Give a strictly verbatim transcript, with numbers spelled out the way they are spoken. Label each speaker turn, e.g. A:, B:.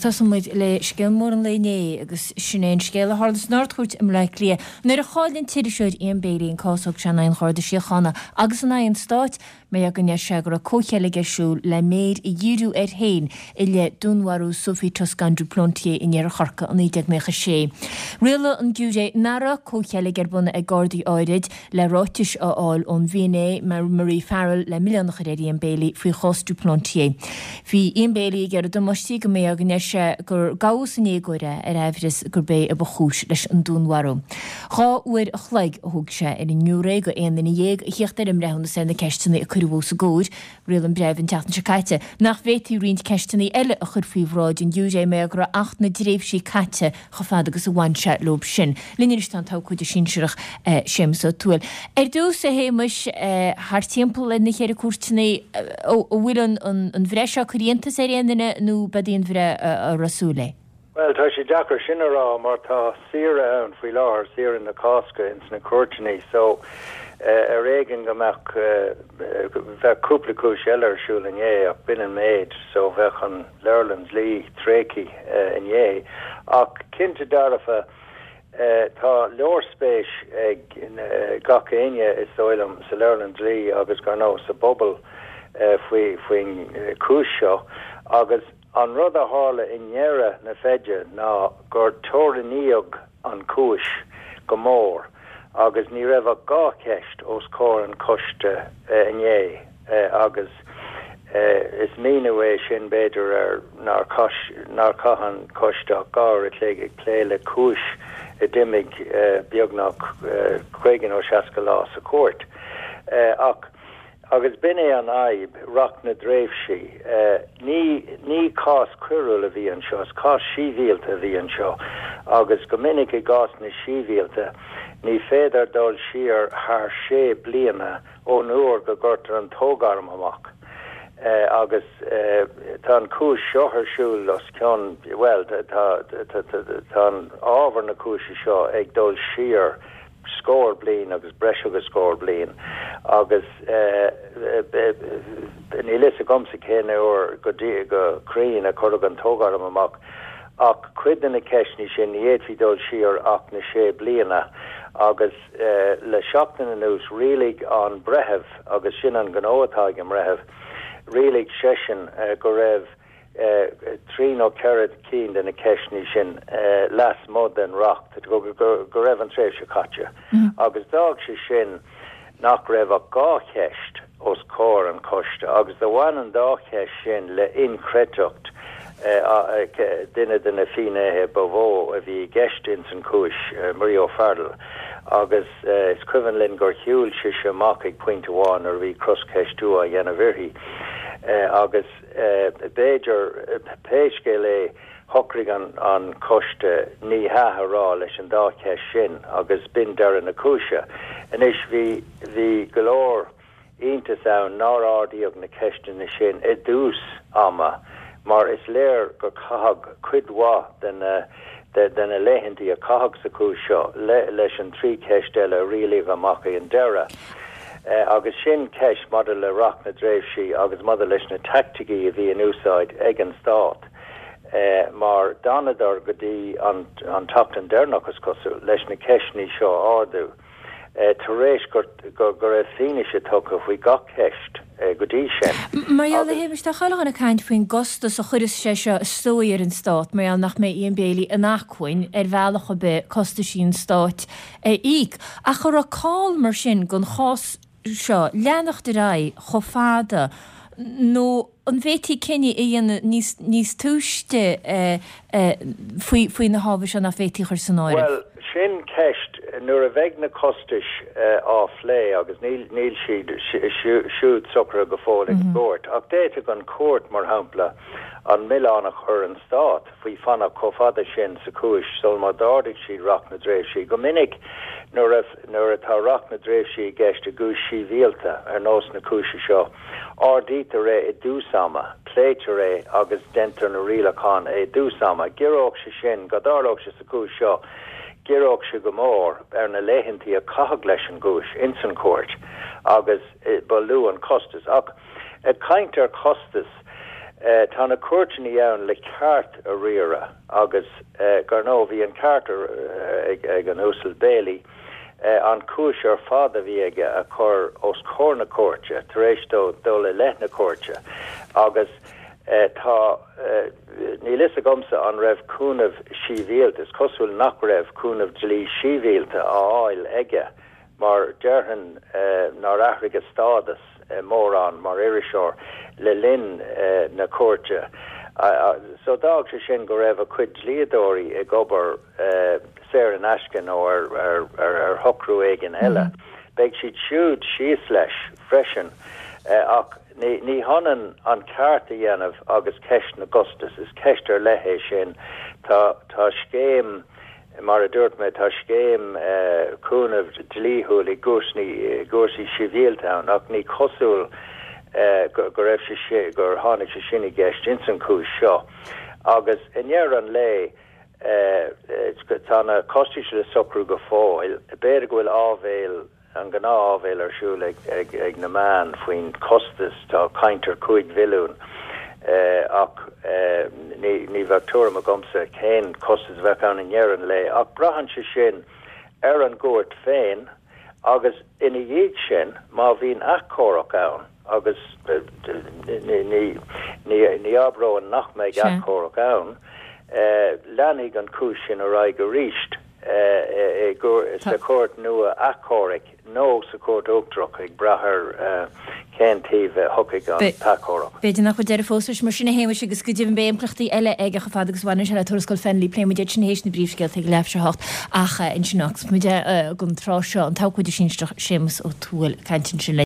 A: Agus tosóidh muid le scéal mór an lae inné agus sin é an scéal a tharla san Ard-Chúirt i mBleá Cliath nuair a chaill an t-iriseoir Ian Bailey an cás a thug sé in aghaidh an Gharda Síochána agus in aghaidh an Stáit mar go ndeir sé go raibh comhcheilg ar siúl le méir a dhíriú air féin i leith dúnmharú Sophie Toscan du Plantier in Iarthar Chorcaí i naoi déag naocha sé. Rialaigh an giúiré nach raibh comhcheilg ar bun ag Gardaí áirid le ráitis a fháil ón bhfinné Marie Farrell le milleán a chur ar Ian Bailey faoi chás du Plantier. Bhí Ian Bailey ag iarraidh damáistí go mbeadh go ndeir sé gur gabhadh san éagóir é ar aimhreas gurb é a ba chúis leis an dúnmharú. Dhá uair a chloig a thóg sé ar an ngiúiré de aon duine dhéag a theacht ar an mbreithiúnas ar na ceisteanna a cuireadh os a gcomhair, Rialaigh an breitheamh an tseachtain seo caite nach bhféadfaí roinnt ceisteanna eile a chur faoi bhráid an ghiúiré mar go raibh Acht na dTréimhsí caite chomh fada agus a bhain sé leo sin. Linn anois tá an t-abhcóide sinsearach Séamus Ó Tuathail. Ar dtús, a Shéamais, thart timpeall ar na ceithre cúirteanna, an bhfuil an bhreith seo ag cur iontas ar aon duine nó ab í an bhreith a raibh súil léi?
B: Bhuel, tá sé deacair sin a rá mar tá saoire ann faoi láthair, saoire na Cásca ins na cúirteanna, so ar éigean go mbeadh bheadh cúpla cúis eile ar siúl inné ach b'in an méid, so bheadh an leabharlann dlí tréigthe inné. Ach cinnte dearfa, tá leor spéis ag gach éinne is dóigh liom sa leabharlann dlí agus gar ndóigh sa bpobal faoi faoin chúis seo agus An rud a tharla i ndeireadh na feide ná gur teorannaíodh an chúis go mór agus ní raibh ach dhá cheist os comhair an choiste inné agus is míniú é sin b'fhéidir ar nár nár chaith an coiste ach dhá uair a chloig ag plé le cúis a d'imigh beagnach caoga nó seasca lá sa chúirt. Ach Agus b'in é an fhadhb, Reacht na dTréimhsí. Ní, ní cás coiriúil a bhí anseo, is cás sibhialta a bhí anseo agus go minic i gcásanna sibhialta ní féidir dul siar thar sé bliana ón uair go gcuirtear an toghairm amach. Agus tá an chúis seo ar siúl os cionn, bhuel, tá, tá, tá an ábhar na cúise seo ag dul siar scór bliain agus breis agus scór bliain agus níl fhios agamsa cén uair go dtí go cruinn a cuireadh an toghairm amach ach cuid de na ceisteanna sin ní fhéadfaí dul siar ach na sé bliana agus le seachtain anuas rialaigh an breitheamh agus sin an gnó atá ag an mbreitheamh rialaigh seisean go raibh trí nó ceithre cinn de na ceisteanna sin lasmuigh den reacht, go raibh an tréimhse caite, agus d'fhág sé sin nach raibh ach dhá cheist os comhair an choiste, agus do bhain an dá cheist sin le inchreidteacht duine de na finnéithe ba mhó a bhí i gceist ins an chúis, Marie O'Farrell, agus is cuimhin linn gur shiúil sise amach ag pointe amháin nuair a bhí croscheistiú á dhéanamh uirthi, agus. B'fhéidir, pé scéal é, shocraigh an coiste ní hea a rá leis an dá cheist sin agus b'in deireadh na cúise. Anois, bhí, bhí go leor iontais ann nár ardaíodh na ceisteanna sin i dtús ama mar is léir gur caitheadh cuid mhaith de na, de na laethantaí a caitheadh sa chúis seo leis an trí cheist eile a rialaíodh amach ag an deireadh. Agus sin ceist maidir le Reacht na dTréimhsí agus maidir leis na teaicticí a bhí in úsáid ag an Stát mar d'fhanadar go dtí an tseachtain deireanach, is cosúil, leis na ceisteanna seo a ardú tar éis go raibh fianaise tugtha faoi gach ceist go dtí sin.
A: Mar gheall, a Shéamais, tá chuile dhuine ag caint faoin gcostas a chuirfeas sé seo is dóigh ar an Stát mar gheall nach mbeidh Ian Bailey in acmhainn ar bhealach ar bith costaisí an Stáit a íoc. Ach an raibh call mar sin don chás seo leanacht ar aghaidh chomh fada nó an bhféadfaí cinneadh a dhéanamh níos níos túisce faoi faoi na hábhair seo nach bhféadfaí a chur san áireamh?
B: Bhuel, sin ceist nuair a bheidh na costais á phlé agus níl níl siad siúd socraithe go fóill ag an gcúirt ach d'fhéadfadh an chúirt, mar shampla, an milleán a chur ar an Stát faoi fanacht chomh fada sin sa chúis sul má d'ardaigh siad Reacht na dTréimhsí. Go minic nuair a nuair atá Reacht na dTréimhsí i gceist i gcúis shibhialta ar nós na cúise seo, ardaítear é i dtús ama, pléitear é agus deintear na rialacháin i dtús ama. Giorródh sé sin, dá dtarlódh sé sa chúis seo, ghiorródh sé go mór ar na laethantaí a caitheadh leis an gcúis ins an chúirt agus ba lú an costas. Ach ag caint ar chostas, Tá na cúirteanna ann le ceart a riaradh agus gar ndóigh bhí an ceart ag an Uasal Bailey an chúis ar fad a bhí aige a chur os comhair na cúirte tar éis dó dul i leith na cúirte agus tá níl fhios agamsa an raibh cúnamh sibhialta, is cosúil nach raibh cúnamh dlí sibhialta á fháil aige mar déarfainn nár athraigh a stádas mórán mar iriseoir le linn na cúirte. So d'fhág sé sin go raibh a chuid dlíodóirí ag obair saor in aisce nó ar ar ar shocrú éigin eile. Beidh siad siúd síos leis freisin ach ní ní hionann an ceart a dhéanamh agus ceist na gcostas, is ceist ar leith é sin. Tá tá scéim mar a dúirt mé tá scéim cúnamh dlíthiúil i gcúrsaí gcúrsaí sibhialta ann ach ní cosúil go go raibh sé sé gur tháinig sé sin i gceist ins an chúis seo. Agus i ndeireadh an lae tá na costais le socrú go fóill, b'fhéidir go bhfuil áibhéil an ghnáth-áibhéil ar siúl ag ag ag na meáin faoin costas tá caint ar cúig mhilliún ach ní ní bheadh tuairim agamsa cén costas a bheadh ann i ndeireadh an lae ach braitheann sé sin ar an gcúirt féin agus ina dhiaidh sin má bhíonn achomharc ann agus ní ní ní ní abróinn nach mbeidh achomharc ann leanfaidh an chúis sin ar aghaidh arís sa chúirt nua achomhairc nó sa chúirt uachtarach ag brath ar cén taobh a thiocfaidh an t-achomharc.
A: B'fhéidir nach bhfuil deireadh fós leis mar sin a Shéamais agus go deimhin beidh impleachtaí eile aige chomh fada agus bhaineann sé le tuarascáil Fennelly pléifidh muid iad sin théis na bpríomhscéalta ag leathuair tar éis a hocht ach ansin agus muid don tráth seo an t-abhcóide sinsearach Séamus Ó Tuathail ag caint ansin le